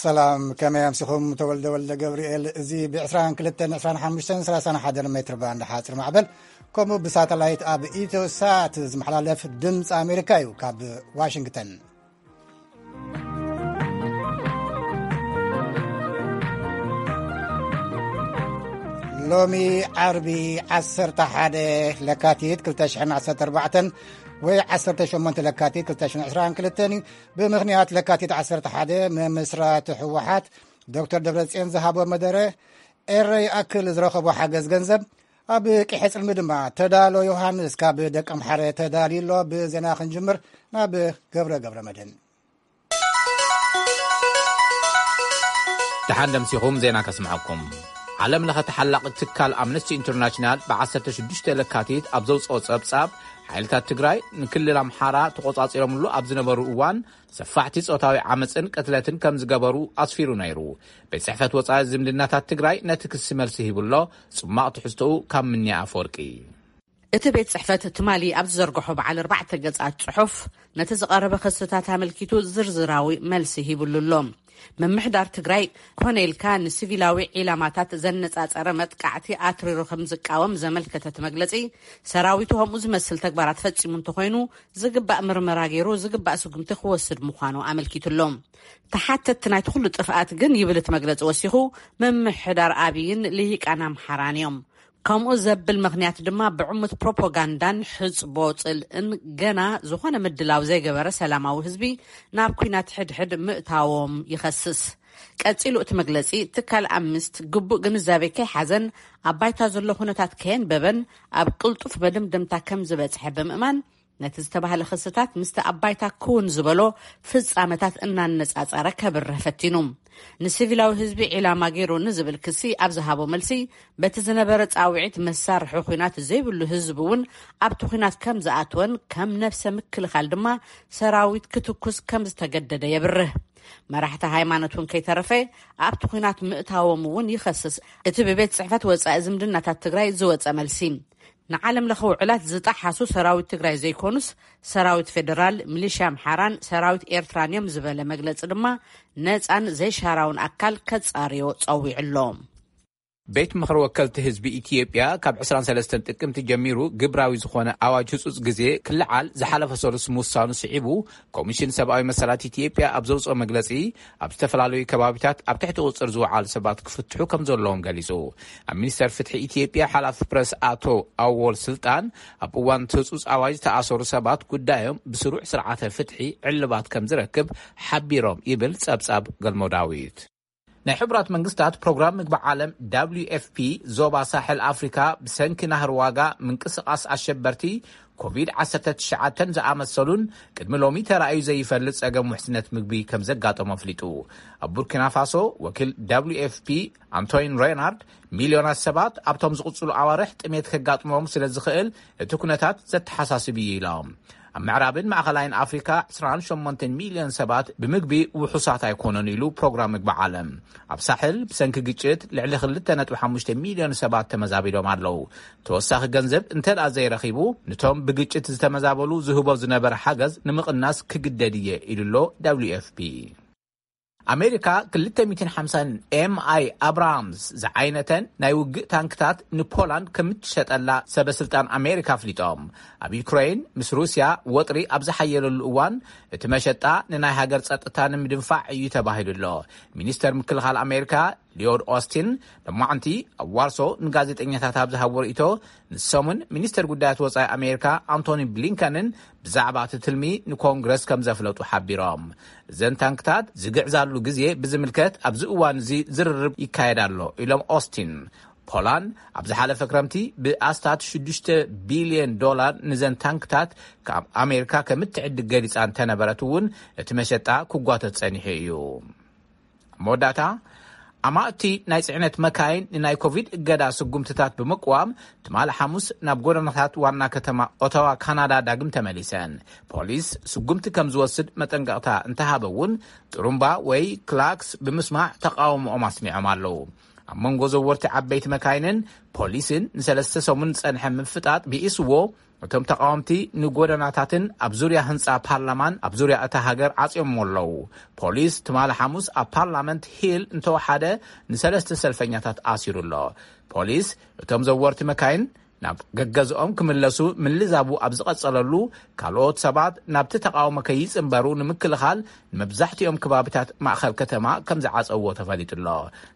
ሰላም፣ ከመይ ኣምሲኹም? ተወልደ ወልደ ገብርኤል። እዚ ብ22፣ 25፣ 31 ሜትር ባንድ ሓፂር ማዕበል፣ ከምኡ ብሳተላይት ኣብ ኢትዮ ሳት ዝመሓላለፍ ድምፂ ኣሜሪካ እዩ። ካብ ዋሽንግተን ሎሚ ዓርቢ ዓሰርተ ሓደ ለካቲት ክልተ ሽሕን ዓሰርተ ኣርባዕተን ወይ ዓሰርተ ሸሞንተ ለካቲት ክልተ ሽሕን ዕስራን ክልተን እዩ። ብምኽንያት ለካቲት ዓሰርተ ሓደ ምምስራት ህወሓት፣ ዶክተር ደብረጽዮን ዝሃቦ መደረ ኤረ ይኣክል ዝረኸቦ ሓገዝ ገንዘብ፣ ኣብ ቂሐ ጽልሚ ድማ ተዳሎ ዮሃንስ ካብ ደቀምሓረ ተዳልዩ ኣሎ። ብዜና ክንጅምር ናብ ገብረ ገብረ መድህን። ደሓን ደምሲኹም ዜና ከስምዐኩም። ዓለም ለኸ ተሓላቒ ትካል ኣምነስቲ ኢንተርናሽናል ብ16 ለካቲት ኣብ ዘውፅኦ ጸብጻብ፣ ሓይልታት ትግራይ ንክልል ኣምሓራ ተቖጻጺሮምሉ ኣብ ዝነበሩ እዋን ሰፋሕቲ ጾታዊ ዓመፅን ቅትለትን ከም ዝገበሩ ኣስፊሩ ነይሩ። ቤት ጽሕፈት ወጻኢ ዝምድናታት ትግራይ ነቲ ክሲ መልሲ ሂቡ ኣሎ። ጽማቕ ትሕዝቶኡ ካብ ምንያ ኣፈወርቂ። እቲ ቤት ጽሕፈት ትማሊ ኣብ ዝዘርግሖ በዓል ኣርባዕተ ገጻት ጽሑፍ፣ ነቲ ዝቐረበ ክስታት ኣመልኪቱ ዝርዝራዊ መልሲ ሂብሉ ኣሎ። ምምሕዳር ትግራይ ኮነ ኢልካ ንሲቪላዊ ዒላማታት ዘነጻጸረ መጥቃዕቲ ኣትሪሩ ከም ዝቃወም ዘመልከተ እቲ መግለጺ፣ ሰራዊቱ ከምኡ ዝመስል ተግባራት ፈጺሙ እንተኾይኑ ዝግባእ ምርመራ ገይሩ ዝግባእ ስጉምቲ ክወስድ ምዃኑ ኣመልኪቱ ኣሎ። ተሓተትቲ ናይቲ ኩሉ ጥፍኣት ግን፣ ይብል እቲ መግለጺ ወሲኹ፣ ምምሕዳር ኣብይን ልሂቃን ኣምሓራን እዮም። ከምኡ ዘብል ምኽንያት ድማ፣ ብዕሙት ፕሮፓጋንዳን ሕጽቦ ጽልእን ገና ዝኾነ ምድላው ዘይገበረ ሰላማዊ ህዝቢ ናብ ኲናት ሕድሕድ ምእታዎም ይኸስስ። ቀጺሉ እቲ መግለጺ፣ ትካል ኣምነስቲ ግቡእ ግንዛቤ ከይሓዘን ኣብ ባይታ ዘሎ ኩነታት ከየንበበን ኣብ ቅልጡፍ መደምደምታ ከም ዝበጽሐ ብምእማን፣ ነቲ ዝተባህለ ክስታት ምስቲ ኣብ ባይታ ክውን ዝበሎ ፍጻመታት እናነጻጸረ ከብርህ ፈቲኑ። ንሲቪላዊ ህዝቢ ዒላማ ገይሩ ንዝብል ክሲ ኣብ ዝሃቦ መልሲ፣ በቲ ዝነበረ ጻውዒት መሳርሒ ኲናት ዘይብሉ ህዝቢ እውን ኣብቲ ኲናት ከም ዝኣትወን ከም ነብሰ ምክልኻል ድማ ሰራዊት ክትኩስ ከም ዝተገደደ የብርህ። መራሕቲ ሃይማኖት እውን ከይተረፈ ኣብቲ ኲናት ምእታዎም እውን ይኸስስ እቲ ብቤት ጽሕፈት ወጻኢ ዝምድናታት ትግራይ ዝወጸ መልሲ። ንዓለም ለኸ ውዕላት ዝጠሓሱ ሰራዊት ትግራይ ዘይኮኑስ፣ ሰራዊት ፌደራል፣ ሚሊሽያ ኣምሓራን ሰራዊት ኤርትራን እዮም ዝበለ መግለጺ ድማ፣ ነጻን ዘይሻራውን ኣካል ከጻርዮ ጸዊዑ ኣሎ። ቤት ምኽሪ ወከልቲ ህዝቢ ኢትዮጵያ ካብ ዕስራን ሰለስተን ጥቅምቲ ጀሚሩ ግብራዊ ዝኾነ ኣዋጅ ህጹጽ ግዜ ክልዓል ዝሓለፈ ሰሉስ ምውሳኑ ስዒቡ፣ ኮሚሽን ሰብኣዊ መሰላት ኢትዮጵያ ኣብ ዘውጽኦ መግለጺ፣ ኣብ ዝተፈላለዩ ከባቢታት ኣብ ትሕቲ ቁጽር ዝወዓሉ ሰባት ክፍትሑ ከም ዘለዎም ገሊጹ። ኣብ ሚኒስተር ፍትሒ ኢትዮጵያ ሓላፊ ፕረስ ኣቶ ኣወል ስልጣን፣ ኣብ እዋን እቲ ህጹጽ ኣዋጅ ዝተኣሰሩ ሰባት ጉዳዮም ብስሩዕ ስርዓተ ፍትሒ ዕልባት ከም ዝረክብ ሓቢሮም ይብል ጸብጻብ ገልሞ ዳዊት። ናይ ሕቡራት መንግስታት ፕሮግራም ምግቢ ዓለም፣ ደብሊው ኤፍ ፒ፣ ዞባ ሳሕል ኣፍሪካ ብሰንኪ ናህሪ ዋጋ፣ ምንቅስቓስ ኣሸበርቲ፣ ኮቪድ ዓሰርተ ትሽዓተ ዝኣመሰሉን ቅድሚ ሎሚ ተራእዩ ዘይፈልጥ ጸገም ውሕስነት ምግቢ ከም ዘጋጠሞ ኣፍሊጡ። ኣብ ቡርኪና ፋሶ፣ ወኪል ደብሊው ኤፍ ፒ ኣንቶይን ሬናርድ፣ ሚልዮናት ሰባት ኣብቶም ዝቕጽሉ ኣዋርሕ ጥሜት ከጋጥሞም ስለ ዝኽእል፣ እቲ ኩነታት ዘተሓሳስብ እዩ ኢሎም። ኣብ ምዕራብን ማእኸላይን ኣፍሪካ ዕስራን ሸሞንተን ሚልዮን ሰባት ብምግቢ ውሑሳት ኣይኮኑን ኢሉ ፕሮግራም ምግቢ ዓለም። ኣብ ሳሕል ብሰንኪ ግጭት ልዕሊ ክልተ ነጥቢ ሓሙሽተ ሚልዮን ሰባት ተመዛቢሎም ኣለዉ። ተወሳኺ ገንዘብ እንተ ደኣ ዘይረኺቡ፣ ንቶም ብግጭት ዝተመዛበሉ ዝህቦ ዝነበረ ሓገዝ ንምቕናስ ክግደድ እየ ኢሉ ኣሎ ደብሊው ኤፍ ፒ። ኣሜሪካ ክልተ ሚእትን ሓምሳን ኤም ኣይ ኣብራምስ ዝዓይነተን ናይ ውግእ ታንክታት ንፖላንድ ከም እትሸጠላ ሰበ ስልጣን ኣሜሪካ ኣፍሊጦም። ኣብ ዩክሬን ምስ ሩስያ ወጥሪ ኣብ ዝሓየለሉ እዋን፣ እቲ መሸጣ ንናይ ሃገር ጸጥታ ንምድንፋዕ እዩ ተባሂሉ ኣሎ። ሚኒስተር ምክልኻል ኣሜሪካ ሊዮድ ኦስቲን፣ ሎማዕንቲ ኣብ ዋርሶ ንጋዜጠኛታት ኣብ ዝሃቦ ርእይቶ፣ ንሶምን ሚኒስተር ጉዳያት ወጻኢ ኣሜሪካ ኣንቶኒ ብሊንከንን ብዛዕባ እቲ ትልሚ ንኮንግረስ ከም ዘፍለጡ ሓቢሮም። እዘን ታንክታት ዝግዕዛሉ ግዜ ብዝምልከት ኣብዚ እዋን እዚ ዝርርብ ይካየድ ኣሎ ኢሎም ኦስቲን። ፖላንድ ኣብ ዝሓለፈ ክረምቲ ብኣስታት ሽዱሽተ ቢልዮን ዶላር ንዘን ታንክታት ካብ ኣሜሪካ ከም እትዕድግ ገሊጻ እንተነበረት እውን፣ እቲ መሸጣ ክጓተት ጸኒሑ እዩ። ኣብ መወዳእታ፣ ኣማእቲ ናይ ጽዕነት መካይን ንናይ ኮቪድ እገዳ ስጉምትታት ብምቅዋም፣ ትማሊ ሓሙስ ናብ ጎደናታት ዋና ከተማ ኦታዋ ካናዳ ዳግም ተመሊሰን። ፖሊስ ስጉምቲ ከም ዝወስድ መጠንቀቕታ እንተሃበ እውን፣ ጥሩምባ ወይ ክላክስ ብምስማዕ ተቃውሞኦም ኣስሚዖም ኣለዉ። ኣብ መንጎ ዘወርቲ ዓበይቲ መካይንን ፖሊስን ንሰለስተ ሰሙን ዝጸንሐ ምፍጣጥ ብኢስዎ፣ እቶም ተቓወምቲ ንጎደናታትን ኣብ ዙርያ ህንጻ ፓርላማን ኣብ ዙርያ እታ ሃገር ዓጽዮሞ ኣለዉ። ፖሊስ ትማሊ ሓሙስ ኣብ ፓርላመንት ሂል እንተወሓደ ንሰለስተ ሰልፈኛታት ኣሲሩ ኣሎ። ፖሊስ እቶም ዘወርቲ መካይን ናብ ገገዝኦም ክምለሱ ምልዛቡ ኣብ ዝቐጸለሉ፣ ካልኦት ሰባት ናብቲ ተቓውሞ ከይጽንበሩ ንምክልኻል ንመብዛሕትኦም ከባቢታት ማእኸል ከተማ ከም ዝዓጸዎ ተፈሊጡ ኣሎ።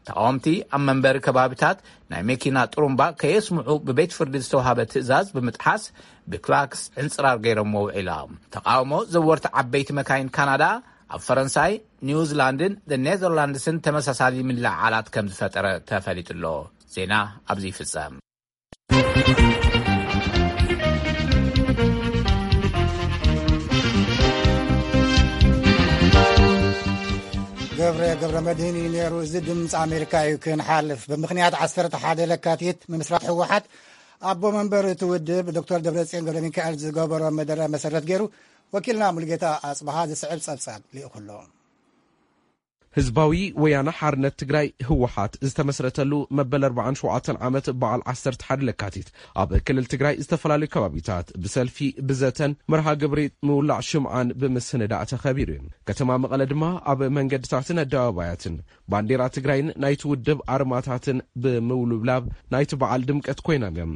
ተቓወምቲ ኣብ መንበሪ ከባቢታት ናይ መኪና ጥሩምባ ከየስምዑ ብቤት ፍርዲ ዝተዋሃበ ትእዛዝ ብምጥሓስ ብክላክስ ዕንጽራር ገይሮሞ ውዒሎም። ተቓውሞ ዘወርቲ ዓበይቲ መካይን ካናዳ ኣብ ፈረንሳይ፣ ኒውዚላንድን ኔዘርላንድስን ተመሳሳሊ ምልዕዓላት ከም ዝፈጠረ ተፈሊጡ ኣሎ። ዜና ኣብዚ ይፍጸም። ገብረ ገብረ መድህን እዩ ነይሩ። እዚ ድምፂ ኣሜሪካ እዩ። ክንሓልፍ፣ ብምኽንያት ዓሰርተ ሓደ ለካቲት ምምስራት ህወሓት ኣቦ መንበር እቲ ውድብ ዶክተር ደብረፅዮን ገብረ ሚካኤል ዝገበሮ መደረ መሰረት ገይሩ፣ ወኪልና ሙልጌታ ኣፅበሃ ዝስዕብ ፀብፃብ ልኢኹ ኣሎ። ህዝባዊ ወያነ ሓርነት ትግራይ ህወሓት ዝተመስረተሉ መበል ኣርባዓን ሸውዓተን ዓመት በዓል ዓሰርተ ሓደ ለካቲት ኣብ ክልል ትግራይ ዝተፈላለዩ ከባቢታት ብሰልፊ፣ ብዘተን መርሃ ግብሪ ምውላዕ ሽምዓን ብምስንዳእ ተኸቢሩ እዩ። ከተማ መቐለ ድማ ኣብ መንገድታትን ኣደባባያትን ባንዴራ ትግራይን ናይቲ ውድብ ኣርማታትን ብምውልብላብ ናይቲ በዓል ድምቀት ኮይኖም እዮም።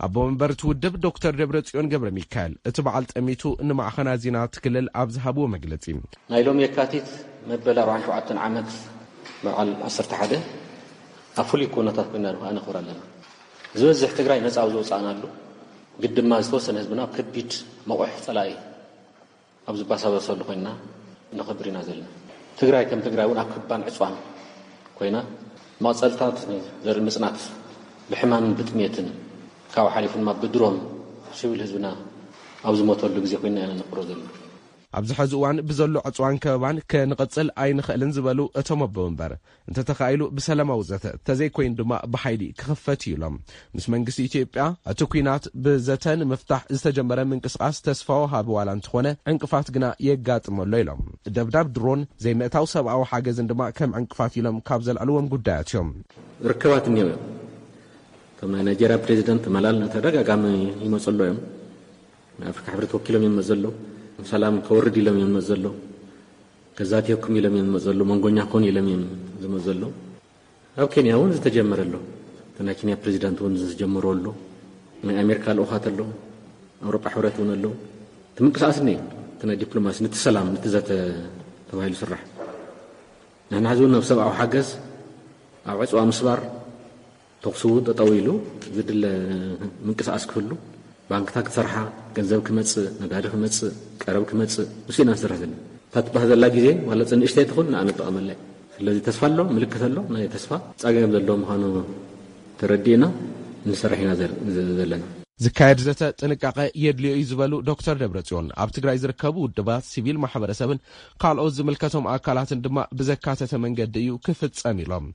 ኣቦ መንበር እቲ ውድብ ዶክተር ደብረጽዮን ገብረ ሚካኤል እቲ በዓል ጠሚቱ ንማዕኸናት ዜና እቲ ክልል ኣብ ዝሃብዎ መግለጺ፣ ናይ ሎሚ የካቲት መበል ኣርባዓን ሸውዓተን ዓመት በዓል ዓሰርተ ሓደ ኣብ ፍሉይ ኩነታት ኮይና ድማ ነኽብር ኣለና። ዝበዝሕ ትግራይ ነፃ ኣብ ዝወፃእናሉ፣ ግድ ድማ ዝተወሰነ ህዝብና ኣብ ከቢድ መቑሕ ፀላኢ ኣብ ዝባሳበሰሉ ኮይና ነኽብር ኢና ዘለና። ትግራይ ከም ትግራይ እውን ኣብ ክባን ዕፅዋን ኮይና፣ መቐፀልታት ዘርኢ ምፅናት፣ ብሕማምን ብጥሜትን፣ ካብኡ ሓሊፉ ድማ ብድሮን ሲቪል ህዝብና ኣብ ዝሞተሉ ግዜ ኮይና ኢና ነኽብሮ ዘለና። ኣብዚ ሕዚ እዋን ብዘሎ ዕፅዋን ከበባን ክንቕፅል ኣይንኽእልን ዝበሉ እቶም ኣቦ መንበር፣ እንተተኻኢሉ ብሰላማዊ ዘተ፣ ተዘይኮይኑ ድማ ብሓይሊ ክኽፈት እዩ ኢሎም። ምስ መንግስቲ ኢትዮጵያ እቲ ኲናት ብዘተ ንምፍታሕ ዝተጀመረ ምንቅስቓስ ተስፋ ወሃቢ ዋላ እንተኾነ፣ ዕንቅፋት ግና የጋጥመሎ ኢሎም። ደብዳብ ድሮን፣ ዘይምእታው ሰብኣዊ ሓገዝን ድማ ከም ዕንቅፋት ኢሎም ካብ ዘልዕልዎም ጉዳያት እዮም። ርክባት እኒኦ እዮም። ከም ናይ ናይጄርያ ፕሬዚደንት መላል ተደጋጋሚ ይመፁ ኣሎ እዮም። ናይ ኣፍሪካ ሕብረት ወኪሎም እዮም መዘሎ። ሰላም ከወርድ ኢሎም እዮም መዘሎ። ገዛት ይህኩም ኢሎም እዮም መዘሎ። መንጎኛ ኮን ኢሎም እዮም ዝመዘሎ። ኣብ ኬንያ እውን ዝተጀመረ ኣሎ። እቲ ናይ ኬንያ ፕሬዚዳንት እውን ዝጀመሮ ኣሎ። ናይ ኣሜሪካ ልኡኻት ኣሎ። ኣውሮጳ ሕብረት እውን ኣሎ። እቲ ምንቅስቃስ እኒ እቲ ናይ ዲፕሎማሲ፣ ነቲ ሰላም፣ ነቲ ዘተ ተባሂሉ ስራሕ። ንሕና ሕዚ እውን ናብ ሰብኣዊ ሓገዝ፣ ኣብ ዕፅዋ ምስባር፣ ተኹሲ እውን ጠጠው ኢሉ ዝድለ ምንቅስቃስ ክህሉ፣ ባንክታት ክሰርሓ፣ ገንዘብ ክመጽእ፣ ነጋዲ ክመጽእ፣ ቀረብ ክመጽእ፣ ንሱ ኢና ንሰርሕ ዘለና። እታ ትበሃል ዘላ ግዜ ዋላ ንእሽተይ ትኹን ንኣነ ትጠቐመላ እያ። ስለዚ ተስፋ ኣሎ፣ ምልክት ኣሎ፣ ናይ ተስፋ ጸገም ዘለዎ ምዃኑ ተረዲእና ንሰርሕ ኢና ዘር-፣ ዘ-፣ ዘለና። ዝካየድ ዘተ ጥንቃቐ የድልዮ እዩ ዝበሉ ዶክተር ደብረጽዮን፣ ኣብ ትግራይ ዝርከቡ ውድባት፣ ሲቪል ማሕበረሰብን ካልኦት ዝምልከቶም ኣካላትን ድማ ብዘካተተ መንገዲ እዩ ክፍጸም ኢሎም።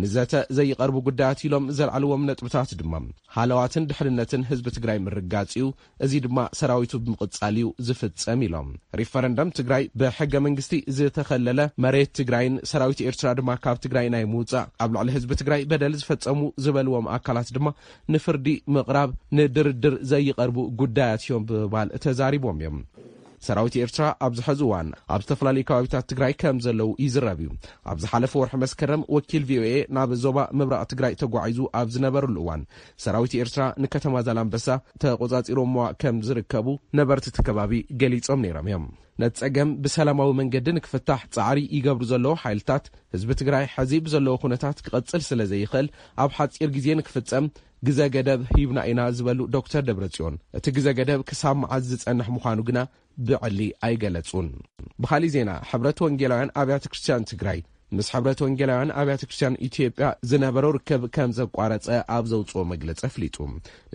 ንዘተ ዘይቐርቡ ጉዳያት ኢሎም ዘልዓልዎም ነጥብታት ድማ፣ ሃለዋትን ድሕንነትን ህዝቢ ትግራይ ምርጋጽ እዩ። እዚ ድማ ሰራዊቱ ብምቕጻል እዩ ዝፍጸም ኢሎም። ሪፈረንደም ትግራይ ብሕገ መንግስቲ ዝተኸለለ መሬት ትግራይን ሰራዊት ኤርትራ ድማ ካብ ትግራይ ናይ ምውጻእ፣ ኣብ ልዕሊ ህዝቢ ትግራይ በደል ዝፈጸሙ ዝበልዎም ኣካላት ድማ ንፍርዲ ምቕራብ ንድርድር ዘይቐርቡ ጉዳያት እዮም ብምባል ተዛሪቦም እዮም። ሰራዊት ኤርትራ ኣብዚ ሕዚ እዋን ኣብ ዝተፈላለዩ ከባቢታት ትግራይ ከም ዘለዉ ይዝረብ እዩ። ኣብ ዝሓለፈ ወርሒ መስከረም ወኪል ቪኦኤ ናብ ዞባ ምብራቕ ትግራይ ተጓዒዙ ኣብ ዝነበረሉ እዋን፣ ሰራዊት ኤርትራ ንከተማ ዛላምበሳ ተቆጻጺሮምዋ ከም ዝርከቡ ነበርቲ እቲ ከባቢ ገሊጾም ነይሮም እዮም። ነቲ ጸገም ብሰላማዊ መንገዲ ንክፍታሕ ጻዕሪ ይገብሩ ዘለዉ ሓይልታት፣ ህዝቢ ትግራይ ሕዚ ብዘለዎ ኩነታት ክቐጽል ስለ ዘይኽእል፣ ኣብ ሓጺር ግዜ ንክፍጸም ግዘ ገደብ ሂብና ኢና ዝበሉ ዶክተር ደብረጽዮን፣ እቲ ግዘ ገደብ ክሳብ መዓዝ ዝጸንሕ ምዃኑ ግና ብዕሊ ኣይገለጹን። ብኻሊእ ዜና፣ ሕብረት ወንጌላውያን ኣብያተ ክርስቲያን ትግራይ ምስ ሕብረት ወንጌላውያን ኣብያተ ክርስቲያን ኢትዮጵያ ዝነበረው ርክብ ከም ዘቋረጸ ኣብ ዘውጽኦ መግለጺ ኣፍሊጡ።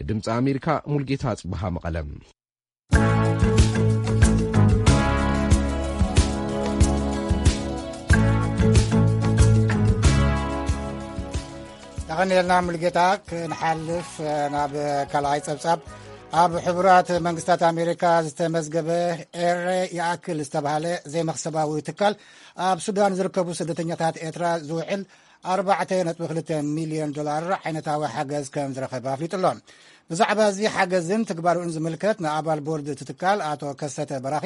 ንድምፂ ኣሜሪካ ሙልጌታ ኣጽብሃ መቐለ። ተቐኒልና ሙልጌታ። ክንሓልፍ ናብ ካልኣይ ጸብጻብ። ኣብ ሕቡራት መንግስታት ኣሜሪካ ዝተመዝገበ ኤረ ይኣክል ዝተባህለ ዘይመኽሰባዊ ትካል፣ ኣብ ሱዳን ዝርከቡ ስደተኛታት ኤርትራ ዝውዕል ኣርባዕተ ነጥቢ ክልተ ሚልዮን ዶላር ዓይነታዊ ሓገዝ ከም ዝረኸበ ኣፍሊጡ ኣሎ። ብዛዕባ እዚ ሓገዝን ትግባርኡን ዝምልከት ንኣባል ቦርድ እቲ ትካል ኣቶ ከሰተ በራኺ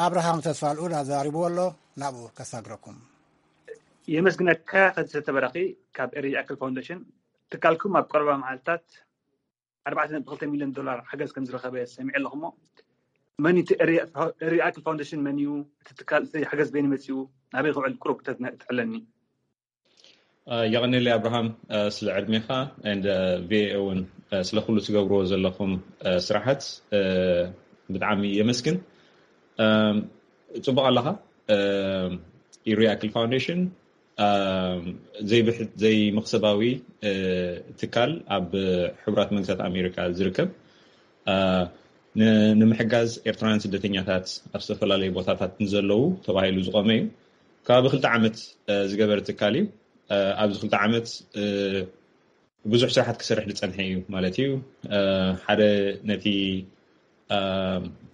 ኣብርሃም ተስፋልኡል ኣዘራሪብዎ ኣሎ። ናብኡ ከሳግረኩም። የመስግነካ ከሰተ በራኺ ካብ ኤሪ ያክል ፋውንዴሽን። ትካልኩም ኣብ ቀረባ መዓልታት ኣርባዕተ ነጥቢ ክልተ ሚልዮን ዶላር ሓገዝ ከም ዝረኸበ ሰሚዐ ኣለኹ። እሞ መን እቲ ኤሪ ያክል ፋውንዴሽን መን እዩ? እቲ ትካል እዚ ሓገዝ በይኑ መፂኡ ናበይ ክውዕል ቁሩብ ተትሕለኒ። የቐንየለይ ኣብርሃም፣ ስለ ዕድሜኻ and ቪኦኤ እውን ስለ ኩሉ ትገብርዎ ዘለኹም ስራሓት ብጣዕሚ የመስግን። ጽቡቕ ኣለኻ። ኢሪ ያክል ፋውንዴሽን ዘይብሕት ዘይመኽሰባዊ ትካል ኣብ ሕቡራት መንግስታት ኣሜሪካ ዝርከብ፣ ንምሕጋዝ ኤርትራውያን ስደተኛታት ኣብ ዝተፈላለዩ ቦታታት ንዘለዉ ተባሂሉ ዝቆመ እዩ። ከባቢ ክልተ ዓመት ዝገበረ ትካል እዩ። ኣብዚ ክልተ ዓመት ብዙሕ ስራሓት ክሰርሕ ዝፀንሐ እዩ ማለት እዩ። ሓደ ነቲ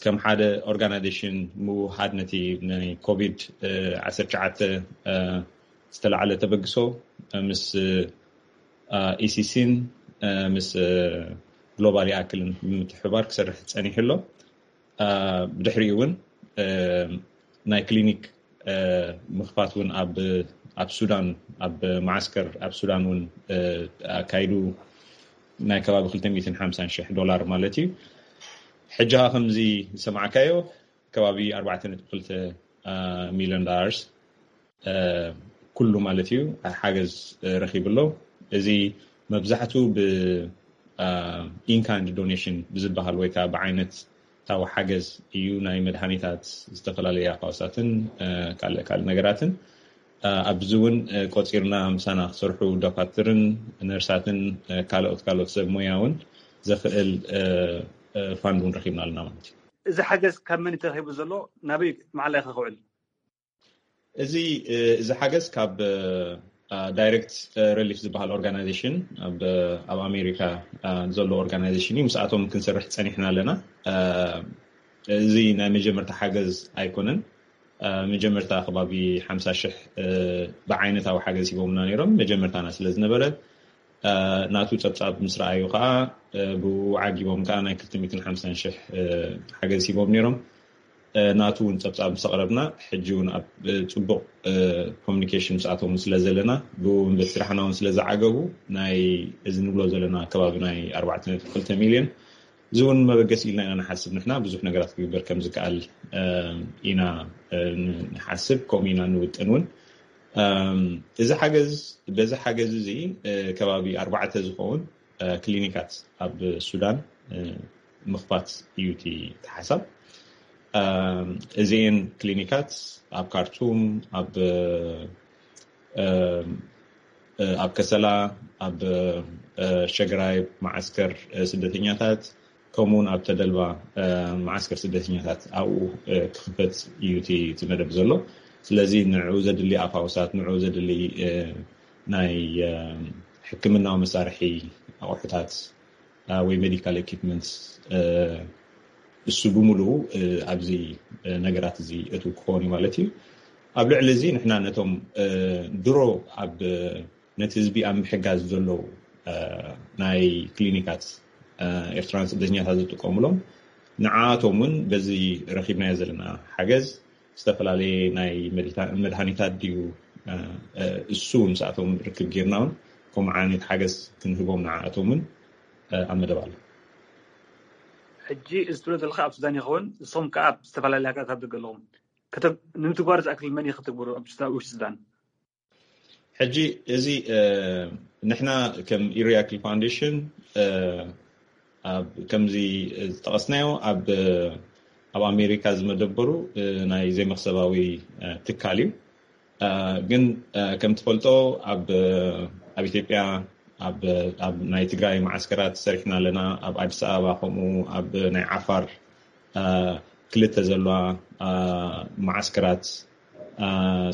ከም ሓደ ኦርጋናይዜሽን ምውሃድ ነቲ ናይ ኮቪድ ዓሰርተ ትሽዓተ ዝተላዓለ ተበግሶ ምስ ኢሲሲን ምስ ግሎባል ያክልን ብምትሕባር ክሰርሕ ፀኒሑ ኣሎ። ብድሕሪኡ እውን ናይ ክሊኒክ ምኽፋት እውን ኣብ ሱዳን ኣብ ማዓስከር ኣብ ሱዳን እውን ኣካይዱ ናይ ከባቢ ክልተ ሚእትን ሓምሳን ሽሕ ዶላር ማለት እዩ። ሕጂ ከምዚ ዝሰማዕካዮ ከባቢ ኣርባዕተ ነጥቢ ክልተ ሚልዮን ዶላርስ ኩሉ ማለት እዩ ሓገዝ ረኺቡ ኣሎ። እዚ መብዛሕቱ ብ ኢንካይንድ ዶኔሽን ብዝበሃል ወይ ከዓ ብዓይነት ታዊ ሓገዝ እዩ። ናይ መድሃኒታት፣ ዝተፈላለዩ ኣፋውሳትን ካልእ ካልእ ነገራትን ኣብዚ እውን ቆፂርና ምሳና ክሰርሑ ዶካትርን ነርሳትን ካልኦት ካልኦት ሰብ ሞያ እውን ዘኽእል ፋንድ እውን ረኪብና ኣለና ማለት እዩ። እዚ ሓገዝ ካብ መን ተረኪቡ ዘሎ ናበይ ማዕላ ከክውዕል? እዚ እዚ ሓገዝ ካብ ዳይሬክት ሪሊፍ ዝበሃል ኦርጋናይዜሽን ኣብ ኣሜሪካ ዘሎ ኦርጋናይዜሽን እዩ። ምስኣቶም ክንሰርሕ ፀኒሕና ኣለና። እዚ ናይ መጀመርታ ሓገዝ ኣይኮነን። መጀመርታ ከባቢ ሓምሳ ሽሕ ብዓይነታዊ ሓገዝ ሂቦምና ነይሮም። መጀመርታና ስለ ዝነበረ ናቱ ፀብፃብ ምስ ረኣዩ ከዓ ብኡ ዓጊቦም ከዓ ናይ ክልተ ሚእትን ሓምሳን ሽሕ ሓገዝ ሂቦም ነይሮም። ናቱ እውን ፀብፃብ ምስ ኣቕረብና ሕጂ እውን ኣብ ፅቡቕ ኮሚኒኬሽን ምስኣቶም ስለ ዘለና ብኡ እውን በቲ ስራሕና እውን ስለ ዝዓገቡ ናይ እዚ ንብሎ ዘለና ከባቢ ናይ ኣርባዕተ ነጥቢ ክልተ ሚልዮን እዚ እውን መበገሲ ኢልና ኢና ንሓስብ። ንሕና ብዙሕ ነገራት ክግበር ከም ዝከኣል ኢና ንሓስብ፣ ከምኡ ኢና ንውጥን እውን። እዚ ሓገዝ በዚ ሓገዝ እዚ ከባቢ ኣርባዕተ ዝኸውን ክሊኒካት ኣብ ሱዳን ምኽፋት እዩ እቲ ሓሳብ። እዚኤን ክሊኒካት ኣብ ካርቱም፣ ኣብ ኣብ ከሰላ፣ ኣብ ሸግራይ መዓስከር ስደተኛታት፣ ከምኡውን ኣብ ተደልባ መዓስከር ስደተኛታት ኣብኡ ክኽፈት እዩ እቲ መደብ ዘሎ። ስለዚ ንዕኡ ዘድሊ ኣፋውሳት፣ ንዕኡ ዘድሊ ናይ ሕክምናዊ መሳርሒ ኣቑሑታት ወይ ሜዲካል ኢኩፕመንትስ እሱ ብምሉኡ ኣብዚ ነገራት እዚ እቱ ክኸውን እዩ ማለት እዩ። ኣብ ልዕሊ እዚ ንሕና ነቶም ድሮ ኣብ ነቲ ህዝቢ ኣብ ምሕጋዝ ዘለዉ ናይ ክሊኒካት ኤርትራን ስደተኛታት ዝጥቀሙሎም ንዓኣቶም እውን በዚ ረኪብናዮ ዘለና ሓገዝ ዝተፈላለየ ናይ መድሃኒታት ድዩ እሱ ምስኣቶም ርክብ ጌርና እውን ከምኡ ዓይነት ሓገዝ ክንህቦም ንዓኣቶም እውን ኣብ መደብ ኣሎ። ሕጂ እዚ ትብሎ ዘለካ ኣብ ሱዳን ይኸውን፣ ንስኹም ከዓ ኣብ ዝተፈላለየ ሃገራት ኣብ ደገ ኣለኹም። ንምትግባር ዝኣክል መን እዩ ክትግብሩ ኣብ ውሽጢ ሱዳን? ሕጂ እዚ ንሕና ከም ኢሪያክል ፋውንዴሽን ከምዚ ዝጠቐስናዮ ኣብ ኣብ ኣሜሪካ ዝመደበሩ ናይ ዘይመክሰባዊ ትካል እዩ። ግን ከም ትፈልጦ ኣብ ኣብ ኢትዮጵያ ኣብ ናይ ትግራይ መዓስከራት ሰሪሕና ኣለና። ኣብ ኣዲስ ኣበባ ከምኡ ኣብ ናይ ዓፋር ክልተ ዘለዋ መዓስከራት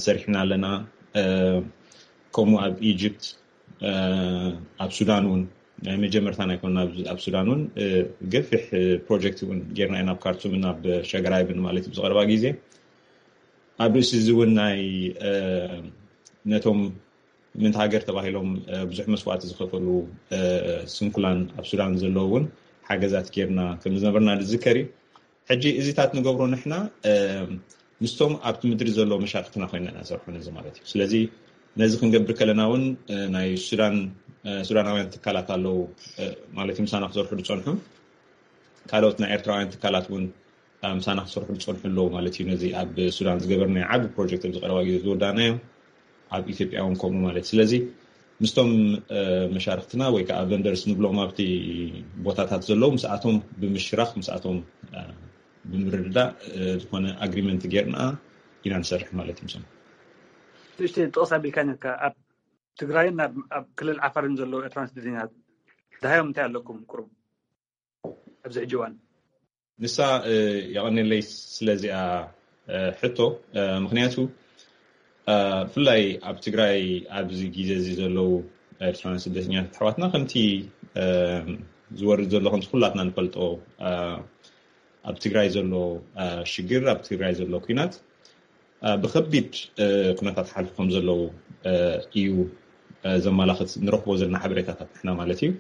ሰሪሕና ኣለና። ከምኡ ኣብ ኢጅፕት ኣብ ሱዳን እውን ናይ መጀመርታ ናይ ኮና ኣብ ሱዳን እውን ገፊሕ ፕሮጀክት እውን ጌርና ኢና ኣብ ካርቱም እና ኣብ ሸግራይብን ማለት ብዝቀረባ ግዜ ኣብ ርእሲ እዚ እውን ናይ ነቶም ምእንቲ ሃገር ተባሂሎም ብዙሕ መስዋእቲ ዝኸፈሉ ስንኩላን ኣብ ሱዳን ዘለዉ እውን ሓገዛት ጌርና ከም ዝነበርና ዝዝከር እዩ። ሕጂ እዚታት ንገብሮ ንሕና ምስቶም ኣብቲ ምድሪ ዘሎ መሻርክትና ኮይና ኢና ንሰርሖ ነዚ ማለት እዩ። ስለዚ ነዚ ክንገብር ከለና እውን ናይ ሱዳን ሱዳናውያን ትካላት ኣለዉ ማለት እዩ፣ ምሳና ክሰርሑ ዝፀንሑ ካልኦት ናይ ኤርትራውያን ትካላት እውን ምሳና ክሰርሑ ዝፀንሑ ኣለዉ ማለት እዩ። ነዚ ኣብ ሱዳን ዝገበርናዮ ዓቢ ፕሮጀክት ኣብዚ ቀረባ ግዜ ዝወዳእናዮ ኣብ ኢትዮጵያ እውን ከምኡ ማለት እዩ። ስለዚ ምስቶም መሻርክትና ወይ ከዓ ቨንደርስ ንብሎም ኣብቲ ቦታታት ዘለዉ ምስኣቶም ብምሽራኽ ምስኣቶም ብምርድዳእ ዝኾነ ኣግሪመንት ጌርና ኢና ንሰርሕ ማለት እዩ። ምሶም ንእሽተይ ጥቕስ ኣቢልካ ነካ ኣብ ትግራይን ኣብ ክልል ዓፋርን ዘለዉ ኤርትራን ስደተኛታት ደሃዮም እንታይ ኣለኩም ቁሩብ ኣብዚ ሕጂ እዋን? ንሳ የቐንየለይ ስለዚኣ ሕቶ። ምክንያቱ ብፍላይ ኣብ ትግራይ ኣብዚ ግዜ እዚ ዘለዉ ኤርትራውያን ስደተኛታት ኣሕዋትና ከምቲ ዝወርድ ዘሎ ከምቲ ኩላትና ንፈልጦ ኣብ ትግራይ ዘሎ ሽግር ኣብ ትግራይ ዘሎ ኩናት ብከቢድ ኩነታት ሓልፉ ከም ዘለዉ እዩ ዘመላኽት ንረኽቦ ዘለና ሓበሬታታት ንሕና ማለት እዩ።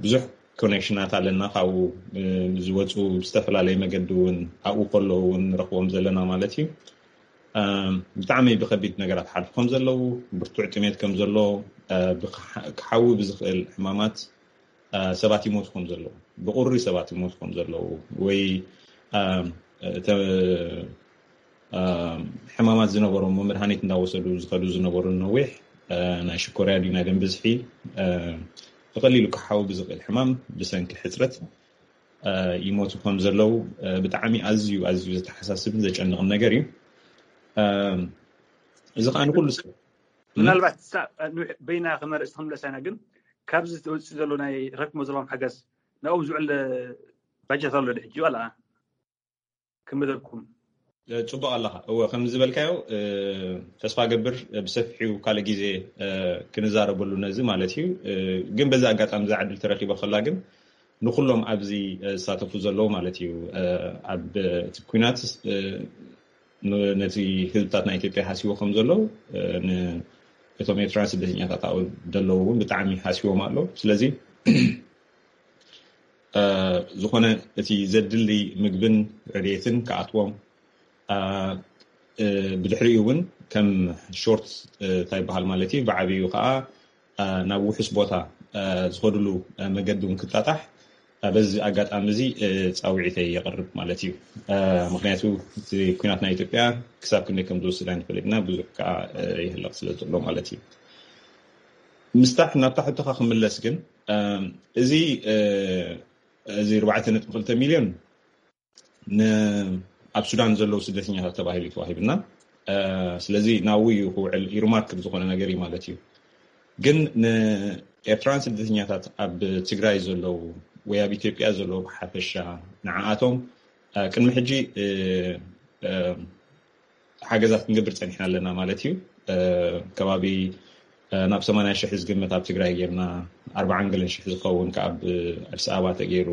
ብዙሕ ኮኔክሽናት ኣለና ካብኡ ዝወፁ ብዝተፈላለየ መገዲ እውን ኣብኡ ከለዉ እውን ንረኽቦም ዘለና ማለት እዩ። ብጣዕሚ ብከቢድ ነገራት ሓልፉ ከም ዘለዉ ብርቱዕ ጥሜት ከም ዘሎ ክሓዊ ብዝኽእል ሕማማት ሰባት ይሞቱ ከም ዘለዉ ብቁሪ ሰባት ይሞቱ ከም ዘለዉ ወይ ሕማማት ዝነበሮም መድሃኒት እንዳወሰዱ ዝኸዱ ዝነበሩ ነዊሕ ናይ ሽኮርያ ድዩ ናይ ደም ብዝሒ ብቀሊሉ ክሓዊ ብዝኽእል ሕማም ብሰንኪ ሕፅረት ይሞቱ ከም ዘለዉ ብጣዕሚ ኣዝዩ ኣዝዩ ዘተሓሳስብን ዘጨንቕን ነገር እዩ። እዚ ከዓ ንኩሉ ሰብ ምናልባት በይና ከመርእስቲ ክንብለሳ ኢና ግን ካብዚ ትወፅእ ዘሎ ናይ ረክሞ ዘለዎም ሓገዝ ናብኦም ዝውዕል ባጀት ኣሎ ድሕጂ ዋላ ክምደልኩም? ፅቡቅ ኣለካ እወ ከም ዝበልካዮ ተስፋ ገብር ብሰፊሑ ካልእ ግዜ ክንዛረበሉ ነዚ ማለት እዩ። ግን በዚ ኣጋጣሚ እዛ ዕድል ተረኪበ ከላ ግን ንኩሎም ኣብዚ ዝሳተፉ ዘለዉ ማለት እዩ ኣብ እቲ ኩናት ነቲ ህዝብታት ናይ ኢትዮጵያ ሃስዎ ከም ዘለዉ እቶም ኤርትራውያን ስደተኛታት ኣብኡ ዘለዉ እውን ብጣዕሚ ሃስዎም ኣሎ። ስለዚ ዝኾነ እቲ ዘድሊ ምግብን ረድኤትን ክኣትዎም ብድሕሪኡ እውን ከም ሾርት እንታይ ይበሃል ማለት እዩ ብዓብዩ ከዓ ናብ ውሑስ ቦታ ዝኸድሉ መገዲ እውን ክጣጣሕ በዚ ኣጋጣሚ እዚ ፃውዒተይ የቕርብ ማለት እዩ። ምክንያቱ እቲ ኩናት ናይ ኢትዮጵያ ክሳብ ክንደይ ከም ዝወስድ ኣይንፈልጥ ኢና ብዙሕ ከዓ ይህለቕ ስለ ዘሎ ማለት እዩ። ምስታሕ ናብታ ሕቶኻ ክምለስ ግን እዚ እዚ ኣርባዕተ ነጥቢ ክልተ ሚልዮን ኣብ ሱዳን ዘለዉ ስደተኛታት ተባሂሉ ተዋሂብና። ስለዚ ናብኡ እዩ ክውዕል ኢርማርክ ዝኾነ ነገር እዩ ማለት እዩ። ግን ንኤርትራውያን ስደተኛታት ኣብ ትግራይ ዘለዉ ወይ ኣብ ኢትዮጵያ ዘለዉ ብሓፈሻ ንዓኣቶም ቅድሚ ሕጂ ሓገዛት ክንገብር ፀኒሕና ኣለና ማለት እዩ። ከባቢ ናብ ሰማንያ ሽሕ ዝግመት ኣብ ትግራይ ጌርና ኣርባዓን ገለን ሽሕ ዝኸውን ካብ ኣዲስ ኣበባ ተገይሩ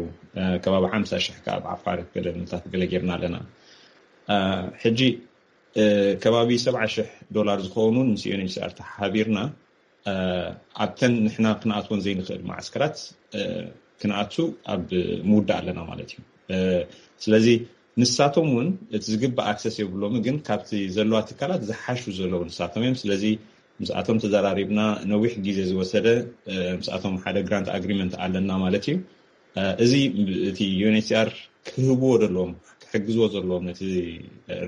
ከባቢ ሓምሳ ሽሕ ካብ ዓፋር ገለታት ገለ ጌርና ኣለና። ሕጂ ከባቢ ሰብዓ ሽሕ ዶላር ዝኸውን እውን ምስ ዩኤንኤችሲኣር ተሓቢርና ኣብተን ንሕና ክንኣትወን ዘይንኽእል ማዓስከራት ክንኣቱ ኣብ ምውዳእ ኣለና ማለት እዩ። ስለዚ ንሳቶም እውን እቲ ዝግባእ ኣክሰስ የብሎምን ግን ካብቲ ዘለዋ ትካላት ዝሓሹ ዘለዉ ንሳቶም እዮም። ስለዚ ምስኣቶም ተዘራሪብና ነዊሕ ግዜ ዝወሰደ ምስኣቶም ሓደ ግራንት ኣግሪመንት ኣለና ማለት እዩ። እዚ እቲ ዩኤንኤችሲኣር ክህብዎ ዘለዎም ክሕግዝዎ ዘለዎም ነቲ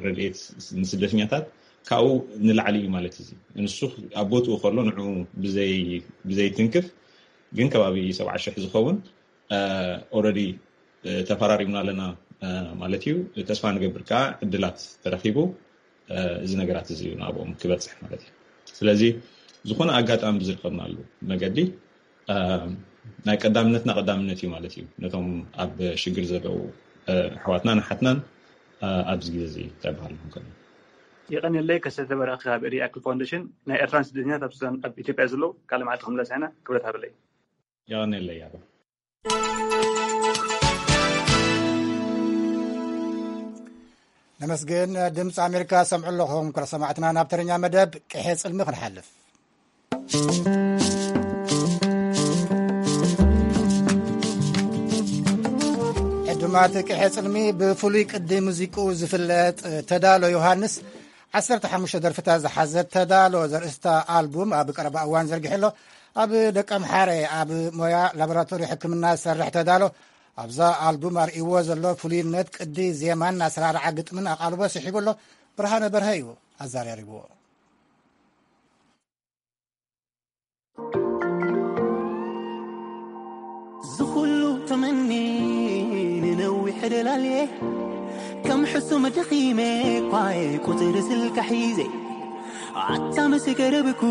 ረድኤት ንስደተኛታት ካብኡ ንላዕሊ እዩ ማለት እዚ ንሱ ኣብ ቦትኡ ከሎ ንዑ ብዘይትንክፍ ግን ከባቢ ሰብዓ ሽሕ ዝኸውን ኦረዲ ተፈራሪምና ኣለና ማለት እዩ። ተስፋ ንገብር ከዓ ዕድላት ተረኪቡ እዚ ነገራት እዚ እዩ ናብኦም ክበፅሕ ማለት እዩ። ስለዚ ዝኾነ ኣጋጣሚ ብዝርከብናሉ መገዲ ናይ ቀዳምነትና ቀዳምነት እዩ ማለት እዩ። ነቶም ኣብ ሽግር ዘለዉ ኣሕዋትና ንሓትናን ኣብዚ ግዜ እዚ እንታይ በሃል ንክእል። የቐንየለይ ከሰተ በራኺ ካብ ሪኣክል ፋውንዴሽን ናይ ኤርትራን ስደተኛታት ኣብ ሱዳን ኣብ ኢትዮጵያ ዘለዉ ካልእ መዓልቲ ክንብለስ ኢና ክብረት ሃበለይ። የቐንየለይ ያባ። ነመስግን። ድምፂ ኣሜሪካ ሰምዑ ኣለኹም ክረ ሰማዕትና። ናብ ተረኛ መደብ ቅሔ ፅልሚ ክንሓልፍ። ዕዱማት ቅሐ ጽልሚ ብፍሉይ ቅዲ ሙዚቅኡ ዝፍለጥ ተዳሎ ዮሃንስ፣ ዓሰርተ ሓሙሽተ ደርፍታት ዝሓዘት ተዳሎ ዘርእስታ ኣልቡም ኣብ ቀረባ እዋን ዘርጊሑ ኣሎ። ኣብ ደቀምሓረ ኣብ ሞያ ላቦራቶሪ ሕክምና ዝሰርሕ ተዳሎ፣ ኣብዛ ኣልቡም ኣርእይዎ ዘሎ ፍሉይነት ቅዲ ዜማን ኣሰራርዓ ግጥምን ኣቓልቦ ስሒቡ ኣሎ። ብርሃነ በርሀ እዩ ኣዘራሪብዎ። ዝኹሉ ተመኒ ንነዊሕ ደላልየ ከም ሕሱም ደኺመ ኳየ ቁጽሪ ስልካ ሒዘ ኣታ ምስ ገረብኩ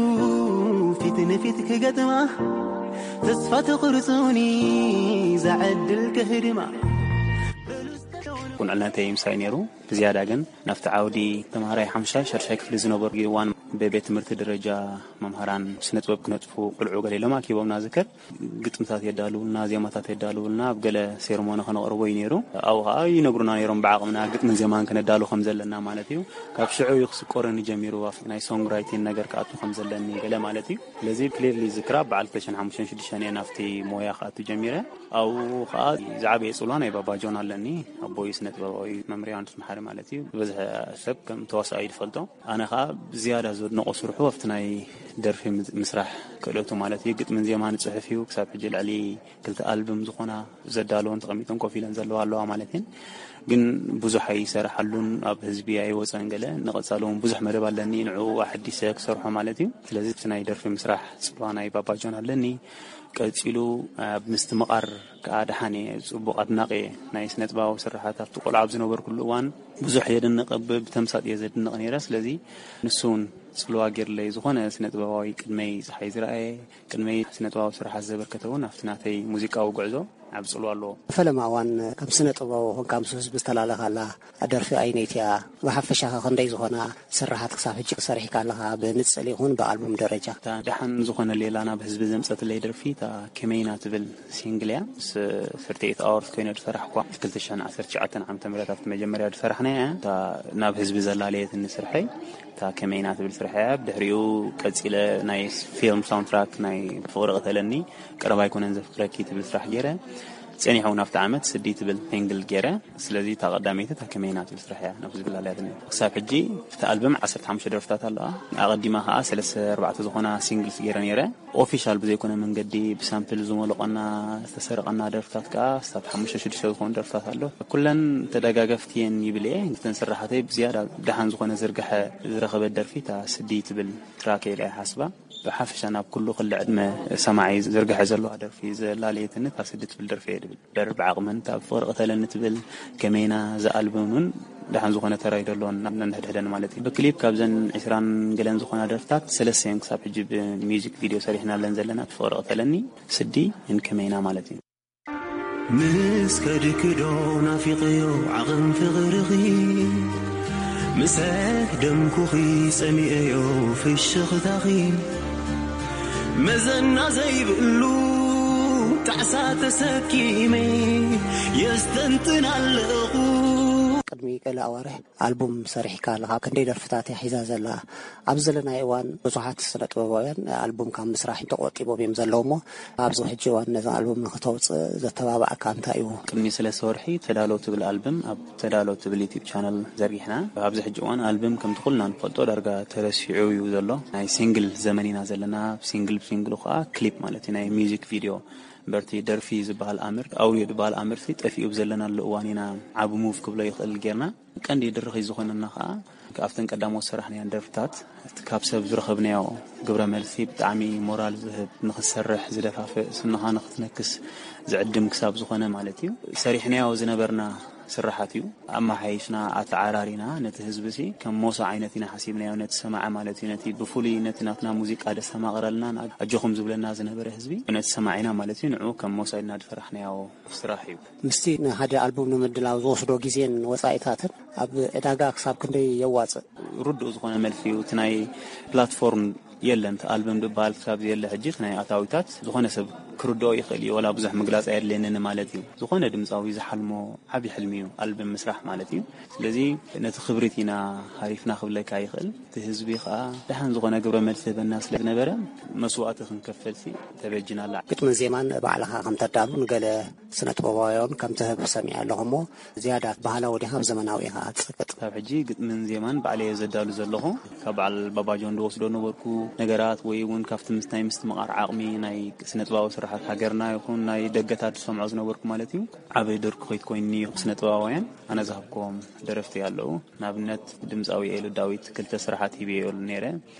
ፊት ንፊት ክገጥማ ተስፋ ተቑርጹኒ ዛዕድል ክህድማ ቁንዕነተይ ምሳይ ነይሩ። ብዝያዳ ግን ናብቲ ዓውዲ ተምሃራይ ሓምሻይ ሻድሻይ ክፍሊ ዝነበሩ እዋን ብቤት ትምህርቲ ደረጃ መምሃራን ስነ ጥበብ ክነጥፉ ቆልዑ ገለ ኢሎም ኣኪቦምና ዝከር ግጥምታት የዳልውልና፣ ዜማታት የዳልውልና፣ ኣብ ገለ ሴርሞኒ ከነቕርቦ እዩ ነይሩ። ኣብኡ ከዓ ይነግሩና ነይሮም ብዓቕምና ግጥምን ዜማን ክነዳሉ ከም ዘለና ማለት እዩ። ካብ ሽዑ እዩ ክስቆረኒ ጀሚሩ ኣብቲ ናይ ሶንግ ራይቲን ነገር ክኣቱ ከም ዘለኒ ገለ ማለት እዩ። ስለዚ ክሊርሊ ዝክራ በዓል ክልተ ሽሕን ሓሙሽተን ሽዱሽተን እየ ናብቲ ሞያ ክኣቱ ጀሚረ። ኣብኡ ከዓ ዝዓበየ ፅልዋ ናይ ባባ ጆን ኣለኒ። ኣቦይ ስነ ጥበባዊ መምርያ ዮሃንስ መሓሪ ማለት እዩ። ዝበዝሐ ሰብ ከም ተዋሳኣይ ዝፈልጦ። ኣነ ከዓ ዝያዳ ዘድንቆ ስርሑ ኣብቲ ናይ ደርፊ ምስ- ምስራሕ ክእለቱ ማለት እዩ። ግጥምን ዜማን ይፅሕፍ እዩ። ክሳብ ሕጂ ልዕሊ ክልተ ኣልብም ዝኾና ዘዳለወን ተቐሚጠን ኮፍ ኢለን ዘለዋ ኣለዋ ማለት እየን። ግን ብዙሕ ኣይሰርሓሉን፣ ኣብ ህዝቢ ኣይወፀን ገለ። ንቐፃሊ እውን ብዙሕ መደብ ኣለኒ ንዕኡ ኣሐዲሰ ክሰርሖ ማለት እዩ። ስለዚ እቲ ናይ ደርፊ ምስራሕ ፅልዋ ናይ ባባ ጆን ኣለኒ። ቀፂሉ ኣብ ምስትምቓር ከዓ ደሓን እየ፣ ፅቡቕ ኣድናቂ እየ ናይ ስነ ጥበባዊ ስርሓት። ኣብቲ ቆልዓ ኣብ ዝነበርኩሉ እዋን ብዙሕ የድንቕ፣ ብ- ብተምሳጥ እየ ዘድንቕ ነይረ። ስለዚ ንሱ እውን ፅልዋ ገይርለይ ዝኾነ ስነ ጥበባዊ ቅድመይ ፀሓይ ዝረኣየ ቅድመይ ስነ ጥበባዊ ስርሓት ዘበርከተ እውን ኣብቲ ናተይ ሙዚቃዊ ጉዕዞ ዓቢ ጽልዋ ኣለዎ። ፈለማ እዋን ከም ስነ ጥበባዊ ኮንካ ምስ ህዝቢ ዝተላለኻላ ደርፊ ኣይነይቲ እያ። ብሓፈሻ ከ ክንደይ ዝኾና ስርሓት ክሳብ ሕጂ ሰሪሕካ ኣለኻ ብንጽል ይኹን ብኣልቡም ደረጃ? እታ ደሓን ዝኾነ ሌላ ናብ ህዝቢ ዘምጸትለይ ደርፊ እታ ከመይና ትብል ሲንግል እያ። ምስ ሰርተይት ኣወርስ ኮይነ ዝሰራሕኳ ክልተ ሽሕን ዓሰርተ ትሽዓተን ዓመተ ምህረት ኣብቲ መጀመርያ ዝሰራሕናያ እያ። እታ ናብ ህዝቢ ዘላለየትኒ ስርሐይ እታ ከመይና ትብል ስራሕ እያ። ብድሕሪኡ ቀጺለ ናይ ፊልም ሳውንትራክ ናይ ፍቕሪ ቅተለኒ ቀረባ ኣይኮነን ዘፍቅረኪ ትብል ስራሕ ገይረ። ጸኒሑ እውን ኣብቲ ዓመት ስዲ ትብል ሲንግል ገይረ። ስለዚ እታ ቀዳመይቲ እታ ከመይና ትብል ስራሕ እያ ናብ ህዝቢ ላለያትኒ። ክሳብ ሕጂ እቲ ኣልበም ዓሰርተ ሓሙሽተ ደርፍታት ኣለዋ። ኣቐዲማ ከኣ ሰለስተ ኣርባዕተ ዝኾና ሲንግልስ ገይረ ነይረ። ኦፊሻል ብዘይኮነ መንገዲ ብሳምፕል ዝሞለቐና ዝተሰረቐና ደርፍታት ከኣ ክሳብ ሓሙሽተ ሽዱሽተ ዝኾኑ ደርፍታት ኣሎ። ኩለን ተደጋገፍቲ እየን ይብል እየ። እተን ስራሓተይ ብዝያዳ ደሓን ዝኾነ ዝርግሐ ዝረኸበት ደርፊ እታ ስዲ ትብል ትራክ እየ ኢለ እየ ሓስባ። ብሓፈሻ ናብ ኩሉ ክሊ ዕድመ ሰማዒ ዝርግሐ ዘለዋ ደርፊ ዘላለየትኒ እታ ስዲ ትብል ደርፊ እየ ድብል። እምበር ብዓቕመን እታ ብፍቕሪ ቅተለኒ ትብል ከመይና ዝኣልበን እውን ደሓን ዝኾነ ተራ እዩ ደለዎን ኣብ ነንሕድሕደን ማለት እዩ። ብክሊፕ ካብዘን ዕስራን ገለን ዝኾና ደርፍታት ሰለስተ እየን ክሳብ ሕጂ ብሚውዚክ ቪድዮ ሰሪሕናለን ዘለና። ፍቕሪ ቅተለኒ፣ ስዲ፣ ን ከመይና ማለት እዩ። ምስ ከድክዶ ናፊቐዮ ዓቕን ፍቕርኺ ምስ ደምኩኺ ጸሚኤዮ ፍሽኽታኺ መዘና ዘይብሉ ጣዕሳ ተሰኪመ የስተንትን ኣለኹ። ቅድሚ ገለ ኣዋርሕ ኣልቡም ሰሪሕካ ኣለኻ። ክንደይ ደርፍታት እያ ሒዛ ዘላ? ኣብዚ ዘለናዮ እዋን ብዙሓት ስነ ጥበባውያን ኣልቡም ካብ ምስራሕ ተቆጢቦም እዮም ዘለዉ እሞ ኣብዚ ሕጂ እዋን ነዛ ኣልቡም ንክተውፅእ ዘተባብዓካ እንታይ እዩ? ቅድሚ ሰለስተ ወርሒ ተዳሎ ትብል ኣልብም ኣብ ተዳሎ ትብል ዩቲብ ቻነል ዘርጊሕና። ኣብዚ ሕጂ እዋን ኣልብም ከምቲ ኩልና ንፈልጦ ዳርጋ ተረሲዑ እዩ ዘሎ። ናይ ሲንግል ዘመን ኢና ዘለና። ሲንግል ብሲንግሉ ከዓ ክሊፕ ማለት እዩ ናይ ሚውዚክ ቪድዮ። በርቲ ደርፊ ዝበሃል ኣምር ኣውርዮ ዝበሃል ኣምርሲ ጠፊኡ ብዘለናሉ እዋን ኢና ዓቢ ሙቭ ክብሎ ይኽእል ጌርና። ቀንዲ ድርኺት ዝኾነና ከኣ ኣብተን ቀዳሞት ዝሰራሕናየን ደርፍታት እቲ ካብ ሰብ ዝረኸብናዮ ግብረ መልሲ ብጣዕሚ ሞራል ዝህብ፣ ንኽትሰርሕ ዝደፋፍእ፣ ስንኻ ንኽትነክስ ዝዕድም ክሳብ ዝኾነ ማለት እዩ። ሰሪሕናዮ ዝነበርና ስራሓት እዩ። ኣመሓይሽና፣ ኣተዓራሪና፣ ነቲ ህዝቢ ሲ ከም ሞሳ ዓይነት ኢና ሓሲብናዮ፣ ነቲ ሰማዒ ማለት እዩ። ነቲ ብፍሉይ ነቲ ናትና ሙዚቃ ደስተማቕረልናን ኣጆኹም ዝብለና ዝነበረ ህዝቢ ነቲ ሰማዒና ማለት እዩ። ንዕኡ ከም ሞሳ ኢልና ዝሰራሕናዮ ስራሕ እዩ። ምስቲ ንሓደ ኣልቡም ንምድላው ዝወስዶ ግዜን ወጻኢታትን ኣብ ዕዳጋ ክሳብ ክንደይ የዋጽእ? ርዱእ ዝኾነ መልሲ እዩ። እቲ ናይ ፕላትፎርም የለን። እቲ ኣልበም ዝበሃል ክሳብ ዘየለ ሕጂ፣ እቲ ናይ ኣታዊታት ዝኾነ ሰብ ክርድኦ ይኽእል እዩ። ወላ ብዙሕ ምግላጽ ኣየድልየንን ማለት እዩ። ዝኾነ ድምጻዊ ዝሓልሞ ዓቢ ሕልሚ እዩ ኣልበም ምስራሕ ማለት እዩ። ስለዚ ነቲ ክብሪት ኢና ሃሪፍና ክብለካ ይኽእል። እቲ ህዝቢ ከኣ ደሓን ዝኾነ ግብረ መልሲ ህበና ስለ ዝነበረ፣ መስዋእቲ ክንከፈልሲ ተበጅና ኣላ። ግጥምን ዜማን ባዕልኻ ከም ተዳሉ ንገለ ስነ ጥበባውያን ከም ትህብ ሰሚዐ ኣለኹ እሞ፣ ዝያዳ ባህላዊ ዲኻ ኣብ ዘመናዊ ኢኻ ትጽቅጥ? ካብ ሕጂ ግጥምን ዜማን ባዕለየ ዘዳሉ ዘለኹ። ካብ በዓል ባባጆን ዝወስዶ ነበርኩ ነገራት፣ ወይ እውን ካብቲ ምስ ናይ ምስትምቓር ዓቕሚ ናይ ስነ ጥበባዊ ስራሓት ሃገርና ይኹን ናይ ደገታት ዝሰምዖ ዝነበርኩ ማለት እዩ። ዓቢ ድርኩኺት ኮይኑኒ እዩ። ስነ ጥበባውያን ኣነ ዝሃብክዎም ደረፍቲ ኣለዉ። ንኣብነት ድምጻዊ ኤሉ ዳዊት ክልተ ስራሓት ሂበየሉ ነይረ።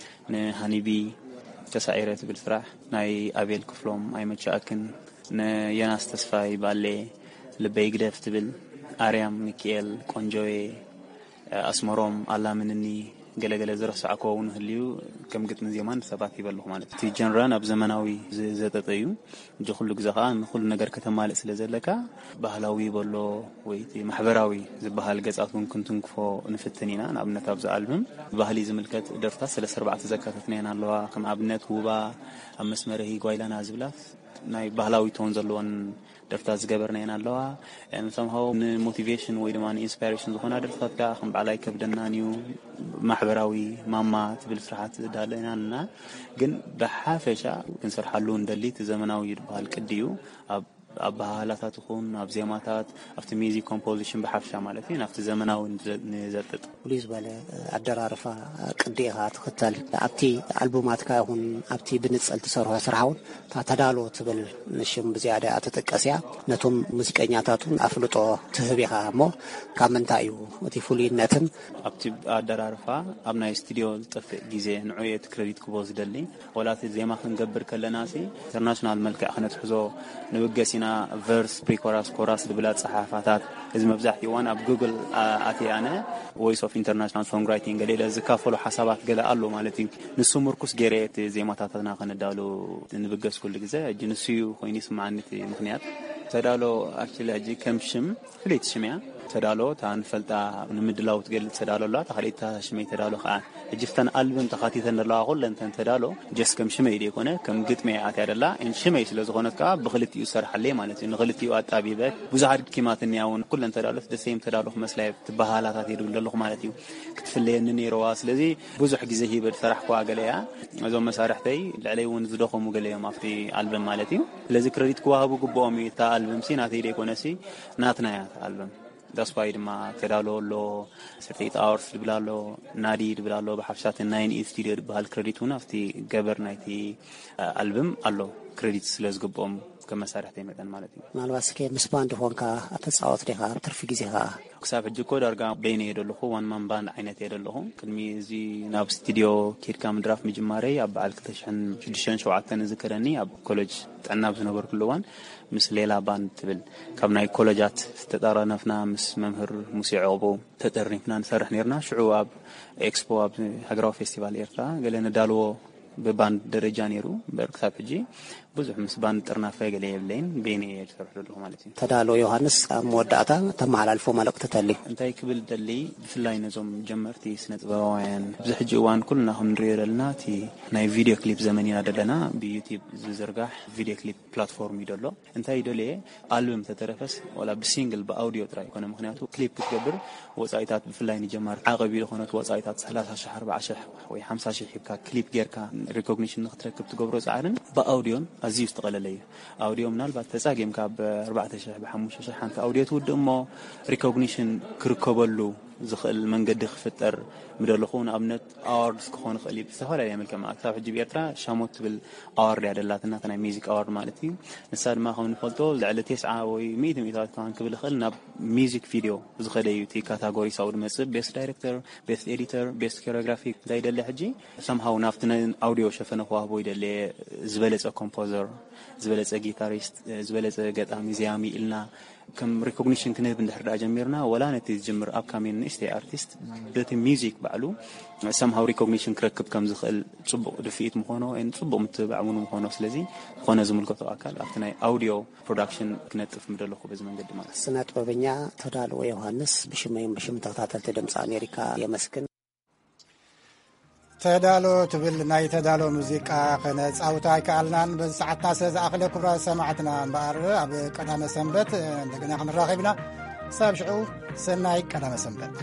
ንሃኒቢ ተሳዒረ ትብል ስራሕ፣ ናይ ኣቤል ክፍሎም ኣይመቻእክን፣ ንየናስ ተስፋይ ባሌ ልበይ ግደፍ ትብል፣ ኣርያም ሚኪኤል ቆንጆዬ፣ ኣስመሮም ኣላምንኒ፣ ገለገለ ዝረሳዕኮ እውን ህልዩ፣ ከም ግጥሚ ዜማን ሰባት ይበልኹ ማለት እዩ። እቲ ጀንራ ናብ ዘመናዊ ዝ-፣ ዘጠጠ እዩ። እጂ ኩሉ ግዜ ከኣ ንኩሉ ነገር ከተማልእ ስለ ዘለካ፣ ባህላዊ በሎ ወይ እቲ ማሕበራዊ ዝበሃል ገጻት እውን ክንትንክፎ ንፍትን ኢና። ንኣብነት ኣብዚ ኣልበም ባህሊ ዝምልከት ደርፍታት ሰለስተ ኣርባዕተ ዘካተትናየን ኣለዋ። ከም ኣብነት ውባ፣ ኣብ መስመርሂ ጓይላና ዝብላ ናይ ባህላዊ ቶን ዘለወን ደርፍታት ዝገበርናየን ኣለዋ። እም፣ somehow ንሞቲቬሽን ወይ ድማ ንኢንስፓይሬሽን ዝኾና ደርፍታት ከኣ ከም በዓል ኣይከብደናን እዩ፣ ማሕበራዊ ማማ ትብል ስራሓት ዳለና ኣለና። ግን ብሓፈሻ ክንሰርሓሉ እንደሊ እቲ ዘመናዊ ዝበሃል ቅዲ እዩ። ኣብ ኣበሃህላታት ይኹን ኣብ ዜማታት፣ ኣብቲ ሚዚክ ኮምፖዚሽን ብሓፈሻ ማለት እዩ፣ ናብቲ ዘመናዊ ንዘ-፣ ንዘጥጥ። ፍሉይ ዝበለ ኣደራርፋ ቅዲ ኢኻ ትኽተል። ኣብቲ ኣልቡማትካ ይኹን ኣብቲ ብንጽል ትሰርሖ ስራሕ እውን እታ ተዳሎ ትብል ሽም ብዝያዳ እያ ትጥቀስ እያ። ነቶም ሙዚቀኛታት እውን ኣፍልጦ ትህብ ኢኻ እሞ፣ ካብ ምንታይ እዩ እቲ ፍሉይነትን? ኣብቲ ኣደራርፋ ኣብ ናይ ስቱዲዮ ዝጠፍእ ግዜ ንዑ እየ እቲ ክረዲት ክቦ ዝደሊ። ወላ እቲ ዜማ ክንገብር ከለና ሲ ኢንተርናሽናል መልክዕ ክነትሕዞ ንብገስ ኢና። ቨርስ፣ ፕሪኮራስ፣ ኮራስ ዝብል ኣጸሓሕፋታት፣ እዚ መብዛሕትኡ እዋን ኣብ ጉግል ኣ-፣ ኣትየ ኣነ ቮይስ ኦፍ ኢንተርናሽናል ሶንግ ራይቲንግ ገለ ኢለ ዝካፈሎ ሓሳባት ገለ ኣሎ ማለት እዩ። ንሱ ምርኩስ ገይረ እቲ ዜማታትና ከነዳሉ ንብገስ ኩሉ ግዜ። ሕጂ ንሱ እዩ ኮይኑ ይስምዓኒ እቲ ምኽንያት። ተዳሎ ኣክቹሊ ሕጂ ከም ሽም ፍልይቲ ሽም እያ። ተዳሎ እታ ንፈልጣ ንምድላው ትገልጽ ተዳሎ ኣላ፣ እታ ካልኣይቲ ሽመይ ተዳሎ ከኣ። ሕጂ እተን ኣልበም ተኻቲተን ዘለዋ ኩለን እተን ተዳሎ ጀስት ከም ሽመይ ዘይኮነ ከም ግጥመይ ኣትያ ደላ፣ እን ሽመይ ስለ ዝኾነት ከኣ ብኽልቲኡ ዝሰርሓለይ ማለት እዩ። ንኽልቲኡ ኣጣቢበ ብዙሓት ኪማት እኒኣ እውን ኩለን ተዳሎት ደሰይም ተዳሎ ክመስላ እየ፣ ትበሃላታት እየ ድብል ዘለኹ ማለት እዩ። ክትፍለየኒ ነይረዋ። ስለዚ ብዙሕ ግዜ ሂበ ዝሰራሕኩዋ ገለ እያ። እዞም መሳርሕተይ ልዕለይ እውን ዝደኸሙ ገለ እዮም ኣብቲ ኣልበም ማለት እዩ። ስለዚ ክረዲት ክወሃቡ ግብኦም እዩ። እታ ኣልበም ሲ ናተይ ደይኮነ ሲ ናትና እያ እታ ኣልበም። ዳስፓይ ድማ ተዳሎ ኣሎ፣ ሰርተይት ኣወርስ ድብል ኣሎ፣ ናዲ ድብል ኣሎ፣ ብሓፍሻ እቲ ናይን ኢት ስቱዲዮ ድበሃል ክረዲት እውን ኣብቲ ገበር ናይቲ ኣልበም ኣሎ፣ ክረዲት ስለ ዝግብኦም ከም መሳርሕተይ መጠን ማለት እዩ። ምናልባት እስከ ምስ ባንድ ኾንካ ተጻወት ዲኻ ኣብ ትርፊ ግዜኻ? ክሳብ ሕጂ እኮ ዳርጋ በይነ እየ ዘለኹ፣ ዋን ማን ባንድ ዓይነት እየ ዘለኹ። ቅድሚ እዚ ናብ ስቱዲዮ ኬድካ ምድራፍ ምጅማረይ ኣብ በዓል ክልተ ሽሕን ሽዱሽተን ሸውዓተን እዝክረኒ፣ ኣብ ኮሌጅ ጥዕና ኣብ ዝነበርኩሉ እዋን ምስ ሌላ ባንድ ትብል ካብ ናይ ኮለጃት ዝተጠራነፍና ምስ መምህር ሙሴ ዕቑቡ ተጠርኒፍና ንሰርሕ ነርና። ሽዑ ኣብ ኤክስፖ፣ ኣብ ሃገራዊ ፌስቲቫል ኤርትራ ገለ ነዳልዎ ብባንድ ደረጃ ነይሩ። እምበር ክሳብ ሕጂ ብዙሕ ምስ ባንድ ጥርናፈ ገለ የብለይን። በይነይ እየ ዝሰርሕ ዘለኹ ማለት እዩ። ተዳሎ ዮሃንስ፣ ኣብ መወዳእታ ተመሓላልፎ መልእኽቲ ተሊ? እንታይ ክብል ደሊ፣ ብፍላይ ነዞም ጀመርቲ ስነ ጥበባውያን፣ ኣብዚ ሕጂ እዋን ኩልና ከም ንሪኦ ዘለና እቲ ናይ ቪድዮ ክሊፕ ዘመን ኢና ዘለና። ብዩቲዩብ ዝዝርጋሕ ቪድዮ ክሊፕ ፕላትፎርም እዩ ደሎ። እንታይ ይደልየ፣ ኣልበም ተተረፈስ ዋላ ብሲንግል ብኣውዲዮ ጥራይ ይኮነ። ምክንያቱ ክሊፕ ክትገብር ወፃኢታት ብፍላይ ንጀማር ዓቐብ እዩ ዝኾነት ወፃኢታት ሰላሳ ሽሕ፣ ኣርባዓ ሽሕ ወይ ሓምሳ ሽሕ ሂብካ ክሊፕ ጌርካ ሪኮግኒሽን ንክትረክብ ትገብሮ ፃዕርን ብኣውዲዮን ኣዝዩ ዝተቐለለ እዩ። ኣውዲዮ ምናልባት ተፃጊምካ ብ ኣርባዕተ ሽሕ፣ ብ ሓሙሽተ ሽሕ ሓንቲ ኣውዲዮ ትውድእ እሞ ሪኮግኒሽን ክርከበሉ ዝኽእል መንገዲ ክፍጠር ምደለኹ። ንኣብነት ኣዋርድስ ክኾን ይኽእል እዩ፣ ብዝተፈላለየ መልክዕ ማለት ክሳብ ሕጂ ብኤርትራ ሻሞት ትብል ኣዋርድ እያ ደላትና፣ እታ ናይ ሚዚክ ኣዋርድ ማለት እዩ። ንሳ ድማ ከም ንፈልጦ ልዕሊ ተስዓ ወይ ሚእቲ ሚእታዊት ክኸውን ክብል ይኽእል ናብ ሚዚክ ቪድዮ ዝኸደ እዩ እቲ ካታጎሪ ሳብ ዝመጽእ ቤስት ዳይሬክተር፣ ቤስት ኤዲተር፣ ቤስት ኮሪዮግራፊ እንታይ ይደሊ ሕጂ ሰምሃው ናብቲ ናይ ኣውዲዮ ሸፈነ ክዋህቦ ይደሊ ዝበለጸ ኮምፖዘር፣ ዝበለጸ ጊታሪስት፣ ዝበለጸ ገጣሚ ዘያሚ ኢልና ከም ሪኮግኒሽን ክንህብ እንድሕር ደኣ ጀሚርና፣ ወላ ነቲ ዝጅምር ኣፕካሚንግ ንእሽተይ ኣርቲስት በቲ ሚውዚክ ባዕሉ ሰምሃው ሪኮግኒሽን ክረክብ ከም ዝኽእል ጽቡቕ ድፍኢት ምኾኖ፣ ኤን ጽቡቕ ምትብባዕ እውን ምኾኖ። ስለዚ ዝኾነ ዝምልከቶ ኣካል ኣብቲ ናይ ኣውዲዮ ፕሮዳክሽን ክነጥፍ ምደለኹ በዚ መንገዲ ማለት እዩ። ስነ ጥበበኛ ተዳልዎ ዮሃንስ፣ ብሽመይን ብሽም ተኸታተልቲ ድምፂ ኣሜሪካ የመስግን። ተዳሎ ትብል ናይ ተዳሎ ሙዚቃ ከነጻውታ ኣይከኣልናን። በዚ ሰዓትና ስለ ዝኣኽለ፣ ክቡራት ሰማዕትና እምበኣር፣ ኣብ ቀዳመ ሰንበት እንደገና ክንራኸብ ኢና። ሳብ ሽዑ፣ ሰናይ ቀዳመ ሰንበት።